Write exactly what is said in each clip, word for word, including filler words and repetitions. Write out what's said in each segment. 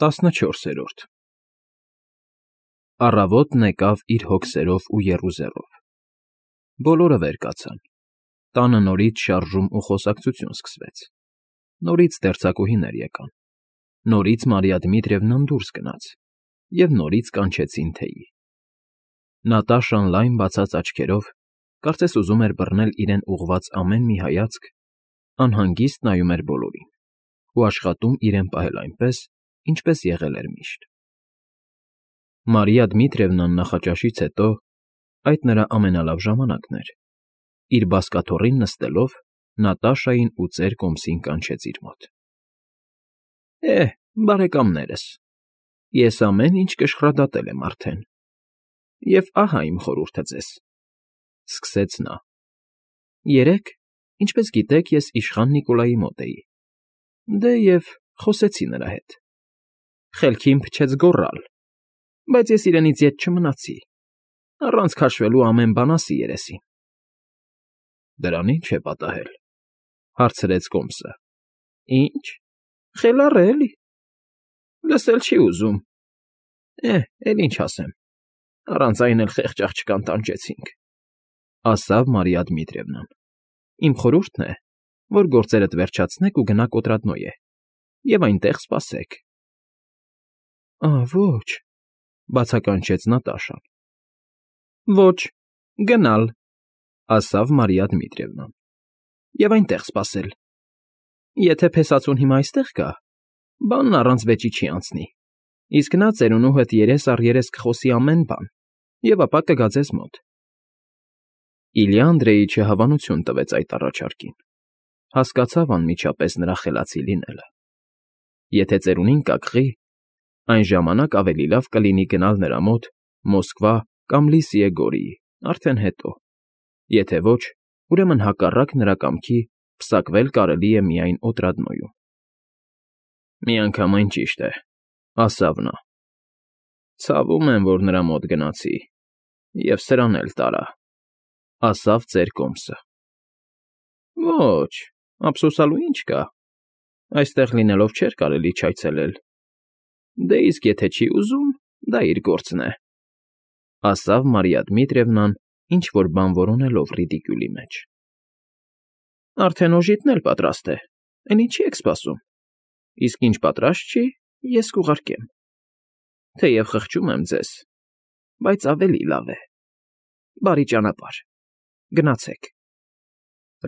Տասնչորսերորդ Առավոտն եկավ իր հոգսերով ու եռուզեռով, բոլորը վեր կացան, տանը նորից շարժում ու խոսակցություն սկսվեց, նորից դերձակուհիներ եկան, նորից Մարիա Դմիտրիևնան դուրս գնաց և նորից կանչեցին թեյի. Նատաշան լայն բացած աչքերով, կարծես ուզում էր բռնել իրեն ուղղված ամեն մի հայացք, անհանգիստ նայում էր բոլորին ու աշխատում իրեն պահել այնպես, ինչպես եղել էր միշտ։ Մարիա Դմիտրիևնան նախաճաշից հետո (այդ նրա ամենալավ ժամանակն էր) իր բազկաթոռին նստելով, Նատաշային ու ծեր կոմսին կանչեց իր մոտ. Է, բարեկամներս, ես ամեն ինչ կշռադատել եմ արդեն, և ահա իմ խորհուրդը ձեզ, ֊ սկսեց նա. երեկ, ինչպես գիտեք, ես իշխան Նիկոլայի մոտ էի, դե և խոսեցի նրա հետ, խելքին փչեց գոռալ, բայց ես իրենից ետ չմնացի, առանց քաշվելու ամեն բան ասի երեսին։ ֊ Դրան ի՞նչ է պատահել, ֊ հարցրեց կոմսը։ ֊ Ի՞նչ, խելառ է, էլի, լսել չի ուզում, է, էլ ինչ ասեմ, առանց այն էլ խեղճ աղջկան տանջեցինք, ֊ ասաց Մարիա Դմիտրիևնան։ Իմ խորհուրդն է, որ գործերդ վերջացնեք ու գնաք Օտրադնոյե և այնտեղ սպասեք։ ֊ Ա՜, ոչ, ֊ բացականչեց Նատաշան։ ֊ Ոչ, գնալ, ֊ ասաց Մարիա Դմիտրիևնան, ֊ և այնտեղ սպասել։ Եթե փեսացուն հիմա այստեղ գա, բանն առանց վեճի չի անցնի, իսկ նա ծերունու հետ երես առ երես կխոսի ամեն բան և ապա կգա ձեզ մոտ։ Իլյա Անդրեիչը հավանություն տվեց այդ առաջարկին, հասկացավ անմիջապես նրա խելացի լինելը։ Եթե ծերունին կակղի, այն ժամանակ ավելի լավ կլինի գնալ նրա մոտ Մոսկվա կամ Լիսիե Գորիի, արդեն հետո, եթե ոչ, ուրեմն հակառակ նրա կամքի պսակվել կարելի է միայն Օտրադնոյում։ ֊ Միանգամայն ճիշտ է, ֊ ասաց նա։ ֊ Ցավում եմ, որ նրա մոտ գնացի և սրան էլ տարա, ֊ ասաց ծեր կոմսը։ ֊ Ոչ, ափսոսալու ինչ կա, այստեղ լինելով չէր կարելի չայցելել, դե իսկ եթե չի ուզում, դա իր գործն է, ֊ ասաց Մարիա Դմիտրիևնան, ինչ֊որ բան որոնելով ռիդիկյուլի մեջ։ ֊ Արդեն օժիտն էլ պատրաստ է, էն ինչի եք սպասում, իսկ ինչ պատրաստ չի, ես կուղարկեմ, թեև խղճում եմ ձեզ, բայց ավելի լավ է, բարի ճանապարհ, գնացեք։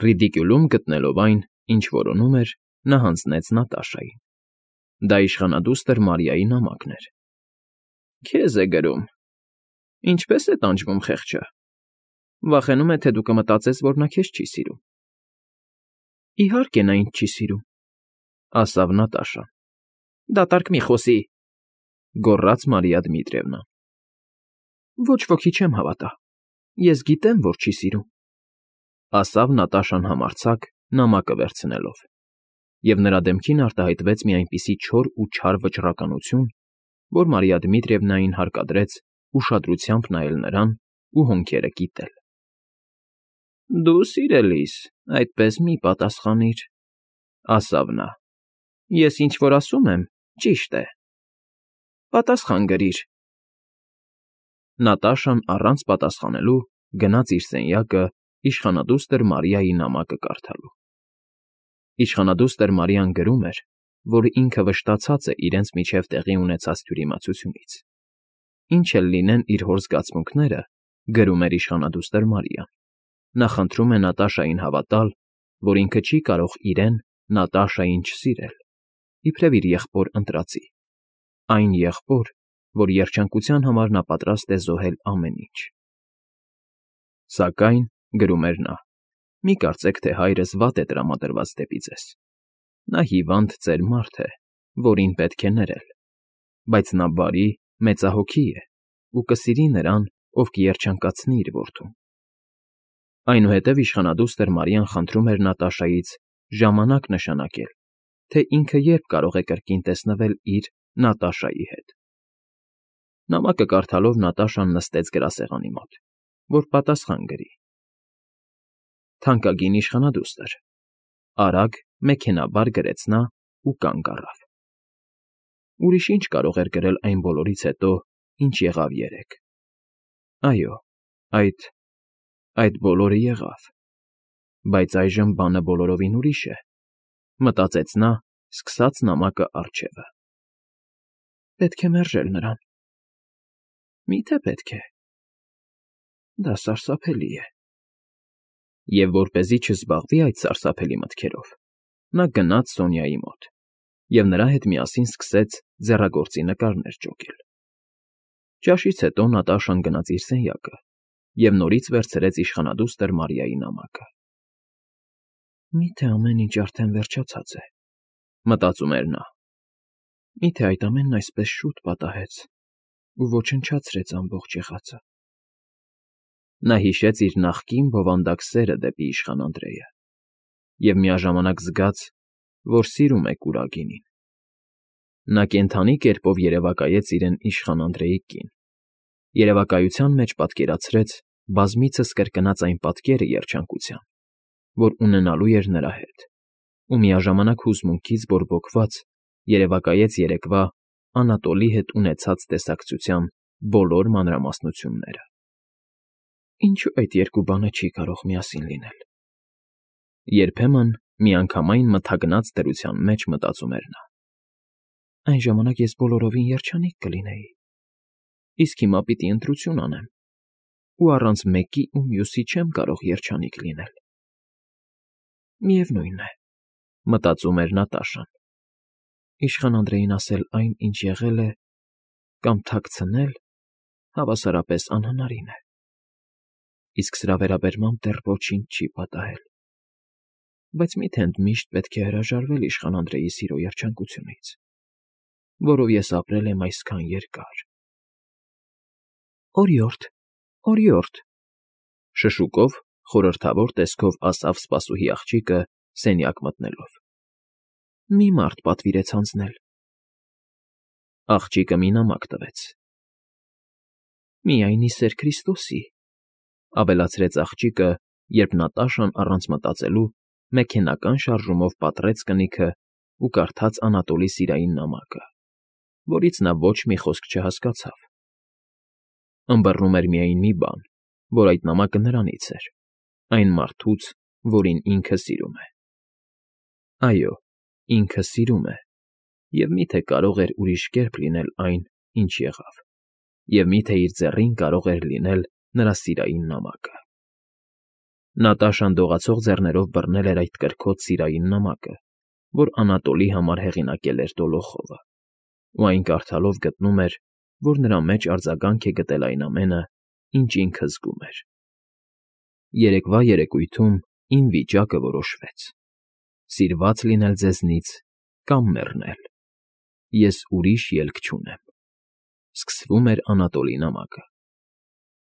Ռիդիկյուլում գտնելով այն, ինչ որոնում էր, նա հանձնեց Նատաշային. դա իշխանադուստր Մարիայի նամակն էր։ ֊ Քեզ է գրում, ինչպե՞ս է տանջվում խեղճը, վախենում է, թե դու կմտածես, որ նա քեզ չի սիրում։ ֊ Իհարկե նա ինձ չի սիրում, ֊ ասաց Նատաշան։ ֊ Դատարկ մի խոսի, ֊ գոռաց Մարիա Դմիտրիևնան։ ֊ Ոչ ոքի չեմ հավատա, ես գիտեմ, որ չի սիրում, ֊ ասաց Նատաշան համարձակ, նամակը վերցնելով, և նրա դեմքին արտահայտվեց մի այնպիսի չոր ու չար վճռականություն, որ Մարիա Դմիտրիևնային հարկադրեց ուշադրությամբ նայել նրան ու հոնքերը կիտել։ ֊ Դու, սիրելիս, այդպես մի պատասխանիր, ֊ ասաց նա, ֊ ես ինչ֊որ ասում եմ, ճիշտ է, պատասխան գրիր։ Նատաշան առանց պատասխանելու գնաց իր սենյակը իշխանադուստր Մարիայի նամակը կարդալու։ Իշխանադուստր Մարիան գրում էր, որ ինքը վշտացած է իրենց միջև տեղի ունեցած թյուրիմացությունից։ Ինչ էլ լինեն իր հոր զգացմունքները, գրում էր իշխանադուստր Մարիան, նա խնդրում է Նատաշային հավատալ, որ ինքը չի կարող իրեն՝ Նատաշային չսիրել, իբրև իր եղբոր ընտրածի, այն եղբոր, որ երջանկության համար նա պատրաստ է զոհել ամեն ինչ։ Սակայն, գրում էր նա, մի կարծեք, թե հայրս վատ է տրամադրված դեպի ձեզ, նա հիվանդ ծեր մարդ է, որին պետք է ներել, բայց նա բարի, մեծահոգի է ու կսիրի նրան, ով կերջանկացնի իր որդուն։ Այնուհետև իշխանադուստր Մարիան խնդրում էր Նատաշայից ժամանակ նշանակել, թե ինքը երբ կարող է կրկին տեսնվել իր՝ Նատաշայի հետ։ Նամակը կարդալով Նատաշան նստեց գրասեղանի մոտ, որ պատասխան գրի։ Թանկագին իշխանադուստր, ֊ արագ, մեքենայաբար գրեց նա ու կանգ առավ։ Ուրիշ ինչ կարող էր կրել այն բոլորից հետո, ինչ եղավ երեկ… Այո, այդ… այդ բոլորը եղավ… Բայց այժմ բանը բոլորովին ուրիշ է, մտածեց նա, սկսած նամակը առջևը… Պետք է մերժել նրան… Մի՞թե պետք է… Դա սարսափելի է… Եվ որպեսզի չզբաղվի այդ սարսափելի մտքերով, նա գնաց Սոնյայի մոտ և նրա հետ միասին սկսեց ձեռագործի նկարներ ճոկել… Ճաշից հետո Նատաշան գնաց իր սենյակը և նորից վերցրեց իշխանադուստր Մարիայի նամակը… Մի՞թե ամեն ինչ արդեն վերջացած է, մտածում էր նա… Մի՞թե այդ ամենն այսպես շուտ պատահեց ու ոչնչացրեց ամբողջ եղածը… Նա հիշեց իր նախկին բովանդակ սերը դեպի իշխան Անդրեя և միաժամանակ զգաց, որ սիրում է կուրագինին… Նա կենդանի կերպով երևակայեց իրեն իշխան Անդրեի կին, երևակայության մեջ պատկերացրեց բազմիցս կրկնած այն պատկերը երջանկության, որ ունենալու էր նրա հետ, ու միաժամանակ հուզմունքից բորբոքված երևակայեց երեկվա Անատոլի հետ ունեցած տեսակցության բոլոր մանրամասնությունները… Ինչո՞ւ այդ երկու բանը չի կարող միասին լինել… Երբեմն միանգամայն մթագնած դրության մեջ մտածում էր նա… Այն ժամանակ ես բոլորովին երջանիկ կլինեի, իսկ հիմա պիտի ընտրություն անեմ ու առանց մեկի ու մյուսի չեմ կարող երջանիկ լինել… Միևնույն է, մտածում էր Նատաշան, իշխան Անդրեին ասել այն, ինչ եղել է, կամ թաքցնել հավասարապես անհնարին է… Իսկ սրա վերաբերմամբ դեռ ոչինչ չի պատահել… Բայց մի՞թե ընդմիշտ պետք է հրաժարվել իշխան Անդրեի սիրո երջանկությունից, որով ես ապրել եմ այսքան երկար… Օրիորդ, օրիորդ… Շշուկով, խորհրդավոր տեսքով ասավ սպասուհի աղջիկը սենյակ մտնելով… Մի մարդ պատվիրեց հանձնել… Աղջիկը մի նամակ տվեց… Միայն ի սեր Քրիստոսի… ավելացրեց աղջիկը, երբ Նատաշան առանց մտածելու մեքենական շարժումով պատռեց կնիքը ու կարդաց Անատոլի սիրային նամակը, որից նա ոչ մի խոսք չհասկացավ… Ըմբռնում էր միայն մի բան, որ այդ նամակը նրանից էր, այն մարդուց, որին ինքը սիրում է… Այո, ինքը սիրում է, և մի՞թե կարող էր ուրիշ կերպ լինել այն, ինչ եղավ, և մի՞թե իր ձեռին կարող էր լինել նրա սիրային նամակը… Նատաշան դողացող ձեռներով բռնել էր այդ կրքոտ սիրային նամակը, որ Անատոլի համար հեղինակել էր Դոլոխովը, ու այն կարդալով գտնում էր, որ նրա մեջ արձագանք է գտել այն ամենը, ինչ ինքը զգում էր… Երեկվա երեկույթում իմ վիճակը որոշվեց… Սիրված լինել ձեզնից կամ մեռնել… Ես ուրիշ ելք չունեմ… Սկսվում էր Անատոլի նամակը…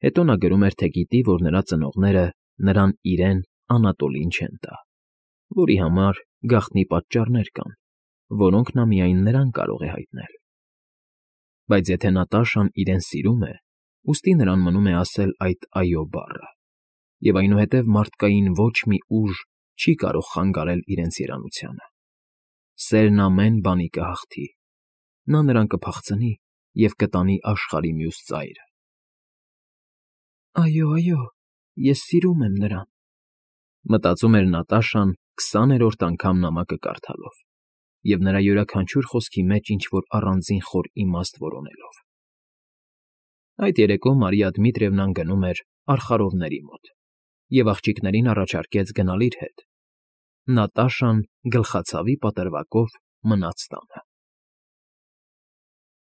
Հետո նա գրում էր, թե գիտի, որ նրա ծնողները նրան իրեն Անատոլին չեն տա, որի համար գաղտնի պատճառներ կան, որոնք նա միայն նրան կարող է հայտնել… Բայց եթե Նատաշան իրեն սիրում է, ուստի նրան մնում է ասել այդ «այո» բառը, և այնուհետև մարդկային ոչ մի ուժ չի կարող խանգարել իրենց երանությանը… Սերն ամեն բանի կհաղթի… Նա նրան կփախցնի և կտանի աշխարհի մյուս ծայրը… Այո, այո, ես սիրում եմ նրան… Մտածում էր Նատաշան քսաներորդ անգամ նամակը կարդալով և նրա յուրաքանչյուր խոսքի մեջ ինչ֊որ առանձին խոր իմաստ որոնելով… Այդ երեկո Մարիա Դմիտրիևնան գնում էր արխարովների մոտ և աղջիկներին առաջարկեց գնալ իր հետ… Նատաշան գլխացավի պատրվակով մնաց տանը…